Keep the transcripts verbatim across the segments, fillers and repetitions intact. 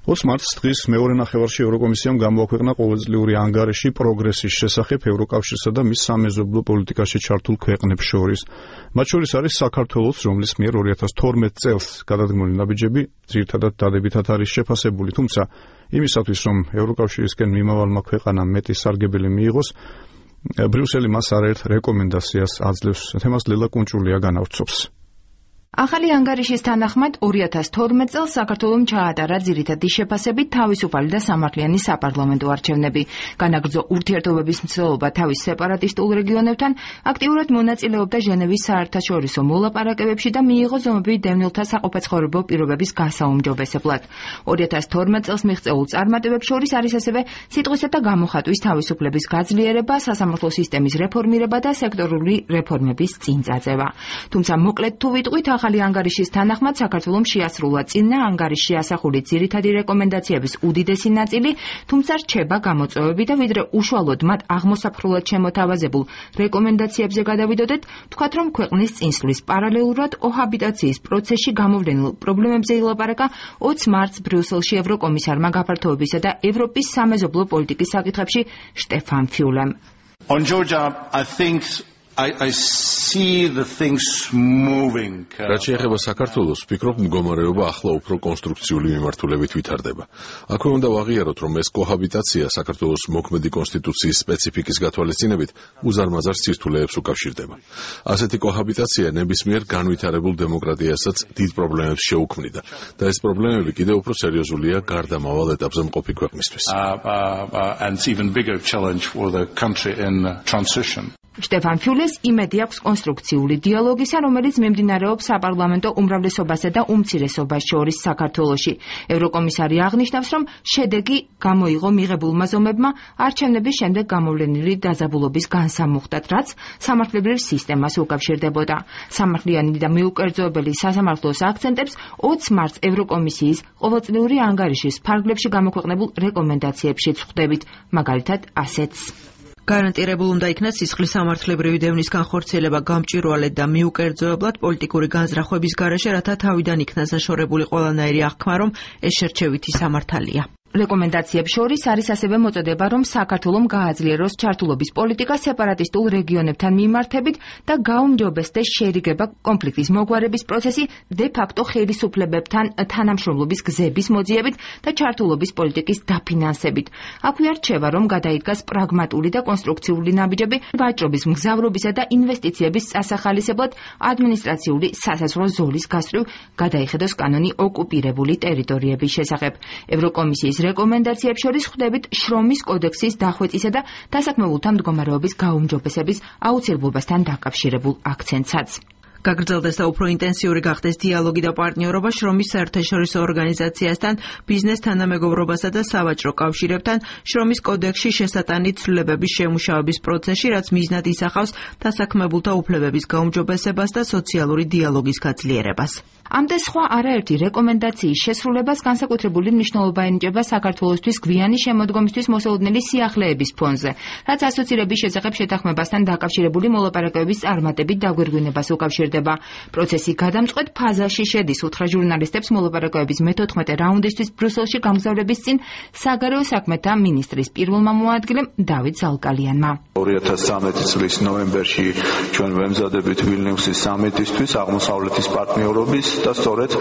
ოცი მარტს დღის მეორე ნახევარში ევროკომისიამ გამოაქვეყნა ყოველწლიური ანგარიში პროგრესის შესახებ ევროკავშირსა და მის სამეზობლო პოლიტიკაში ჩართულ ქვეყნებს შორის. მათ შორის არის საქართველოს, რომლის მიერ ორი ათას თორმეტ წელს გადადგმული ნაბიჯები ძირითადად დადებითად არის შეფასებული, თუმცა იმისათვის, რომ ევროკავშირისკენ მიმავალმა ქვეყანამ მეტი სარგებელი მიიღოს, ბრიუსელი მას არაერთ რეკომენდაციას აძლევს. თემას ლელა კუნჭულია განავრცობს. ახალი ანგარიშის თანახმად ორი ათას თორმეტ წელს საქართველომ ჩაატარა ძირითადი შეფასებით თავისუფალი და სამართლიანი საპარლამენტო არჩევნები. განაგრძო ურთიერთობების მცდელობა თავის სეპარატისტულ რეგიონებთან, აქტიურად მონაწილეობდა ჟენევის საერთაშორისო მოლაპარაკებებში და მიიღო ზომები დევნილთა საყოფაცხოვრებო პირობების გასაუმჯობესებლად. ორი ათას თორმეტ წელს მიღწეულ წარმატებებს შორის არის ასევე სიტყვისა და გამოხატვის თავისუფლების გაძლიერება, სასამართლო სისტემის რეფორმირება და სექტორული რეფორმების წინ წაწევა. თუმცა მოკლედ თუ ვიტყვით, ახალი ანგარიშის თანახმად საქართველომ შეასრულა წინა ანგარიშში ასახული ძირითადი რეკომენდაციების უდიდესი ნაწილი, თუმცა რჩება გამოწვევები და ვიდრე უშუალოდ მათ აღმოსაფრულად შემოთავაზებულ რეკომენდაციებზე გადავიდოდეთ, თქვათ, რომ ქვეყნის წინსვლის პარალელურად კოჰაბიტაციის პროცესში გამოვლენილ პრობლემებზე ილაპარაკა ოცი მარტს ბრიუსელში ევროკომისარმა გაფართოებისა და ევროპის სამეზობლო პოლიტიკის საკითხებში შტეფან ფიულემ. On Georgia, I think I, I see the things moving. რაც შეეხება საქართველოს, ვფიქრობ, მდგომარეობა ახლა უფრო კონსტრუქციული მიმართულებით ვითარდება. აქვე უნდა ვაღიაროთ, რომ ეს კოჰაბიტაცია საქართველოს მოქმედი კონსტიტუციის სპეციფიკის გათვალისწინებით უზარმაზარ სირთულეებს უკავშირდება. ასეთი კოჰაბიტაცია ნებისმიერ განვითარებულ დემოკრატიასაც დიდ პრობლემებს შეუქმნიდა და ეს პრობლემები კიდევ უფრო სერიოზულია გარდამავალ ეტაპზე მყოფი ქვეყნისთვის. Uh, uh, uh, and it's even bigger challenge for the country in transition. შტეფან ფიულეს იმედი აქვს კონსტრუქციული დიალოგისა, რომელიც მიმდინარეობს საპარლამენტო უმრავლესობასა და უმცირესობას შორის საქართველოში. ევროკომისარი აღნიშნავს, რომ შედეგი გამოიღო მიღებულმა ზომებმა არჩევნების შემდეგ გამოვლენილი დაძაბულობის განსამუხტად, რაც სამართლებრივ სისტემას უკავშირდებოდა. სამართლიანი და მიუკერძოებელი სასამართლოს აქცენტებს ოცი მარტს ევროკომისიის ყოველწლიური ანგარიშის ფარგლებში გამოქვეყნებულ რეკომენდაციებშიც ხვდებით, მაგალითად ასეთს. გარანტირებულ უნდა იქნას სისხლის სამართლებრივი დევნის განხორციელება გამჭვირვალედ და მიუკერძოებლად პოლიტიკური განზრახვების გარეშე, რათა თავიდან იქნას დაშორებული ყველანაირი აღქმა, რომ ეს შერჩევითი სამართალია. რეკომენდაციებს შორის არის ასევე მოწოდება, რომ საქართველომ გააძლიეროს ჩართულობის პოლიტიკა სეპარატისტულ რეგიონებთან მიმართებით და გაუმჯობესდეს შერიგება კონფლიქტის მოგვარების პროცესი დე ფაქტო ხელისუფლებებთან თანამშრომლობის გზების მოძიებით და ჩართულობის პოლიტიკის დაფინანსებით. აქვე რჩება, რომ გადაიდგას პრაგმატული და კონსტრუქციული ნაბიჯები ვაჭრობის, მგზავრობისა და ინვესტიციების წასახალისებლად ადმინისტრაციული სასაზღვრო ზოლის გასწვრივ გადაიხედოს კანონი ოკუპირებული ტერიტორიების შესახებ. ევროკომისიის რეკომენდაციებს შორის ხვდებით შრომის კოდექსის დახვეწისა და დასაქმებულთა მდგომარეობის გაუმჯობესების აუცილებლობასთან დაკავშირებულ აქცენტსაც. გაგრძელდეს და უფრო ინტენსიური გახდეს დიალოგი და პარტნიორობა შრომის საერთაშორისო ორგანიზაციასთან, ბიზნეს თანამეგობრობასა და სავაჭრო კავშირებთან, შრომის კოდექსში შესატანით ცვლილებების შემუშავების პროცესში, რაც მიზნად ისახავს დასაქმებულთა უფლებების გაუმჯობესებას და სოციალური დიალოგის გაძლიერებას. ამ და სხვა არაერთი რეკომენდაციის შესრულებას განსაკუთრებული მნიშვნელობა ენიჭება საქართველოსთვის გვიანი შემოდგომისთვის მოსალოდნელი სიახლეების ფონზე, რაც ასოცირების შესახებ შეთანხმებასთან დაკავშირებული მოლაპარაკებების წარმატებით დაგვირგვინებას უკავშირდება. პროცესი გადამწყვეტ ფაზაში შედის. უთხრა ჟურნალისტებს მოლაპარაკებების მეთოთხმეტე რაუნდისთვის ბრიუსელში გამგზავრების წინ საგარეო საქმეთა მინისტრის პირველმა მოადგილემ დავით ზალკალიანმა. ორი ათას ცხრამეტი წლის ნოემბერში ჩვენ ვემზადებით ვილნიუსის სამიტისთვის აღმოსავლეთის პარტნიორობის და სწორედ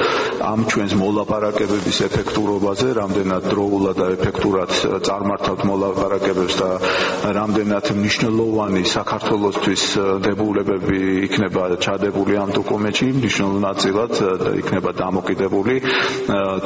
ამ ჩვენს მოლაპარაკებების ეფექტურობაზე, რამდენად დროულად და ეფექტურად წარმართავთ მოლაპარაკებებს და რამდენად მნიშვნელოვანი საქართველოსთვის დებულებები იქნება ჩადებული ამ დოკუმენტში, მნიშვნელოვან ნაწილად იქნება დამოკიდებული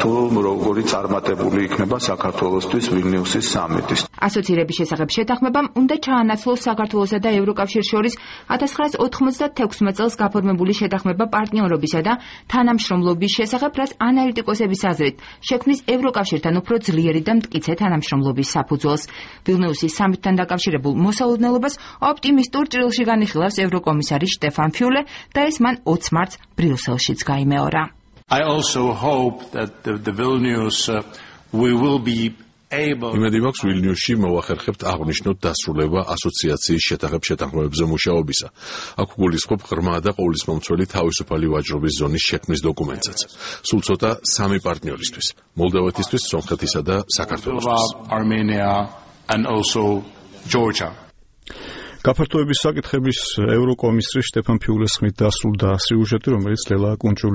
თუ როგორი წარმატებული იქნება საქართველოსთვის ვილნიუსის სამიტის. ასოცირების შესახებ შეთანხმებამ უნდა ჩაანაცვლოს საქართველოსა და ევროკავშირს შორის ათას ცხრაასა ოთხმოცდათექვსმეტ წელს გაფორმებული შეთანხმება პარტნიორობისა და თანამშრომლობის შესახებ, რაც ანალიტიკოსების აზრით შექმნის ევროკავშირთან უფრო ძლიერი და მტკიცე თანამშრომლობის საფუძველს. ვილნიუსის სამიტთან დაკავშირებულ მოსალოდნელობას ოპტიმისტურ ჭრილში განიხილავს ევროკომისარი შტეფან ფიულე და ეს მან ოცი მარტს ბრიუსელშიც გაიმეორა. I also hope that the, the Vilnius uh, we will be იმედი მაქვს ვილნიუსში მოვახერხებთ აღნიშნოთ დასრულება ასოციაციის შეთანხმების შეთანხმებებზე მუშაობისა. აქ გულისხმობ ღრმა და ყოვლისმომცველი თავისუფალი ვაჭრობის ზონის შექმნის დოკუმენტსაც. სულ ცოტა სამი პარტნიორისთვის: მოლდოვეთისთვის, სომხეთისა და საქართველოსთვის. and also Georgia. გაფართოების საკითხების ევროკომისრის შტეფან ფიულეს ხმით დასრულდა სიუჟეტი, რომელიც ლელა კუნჭული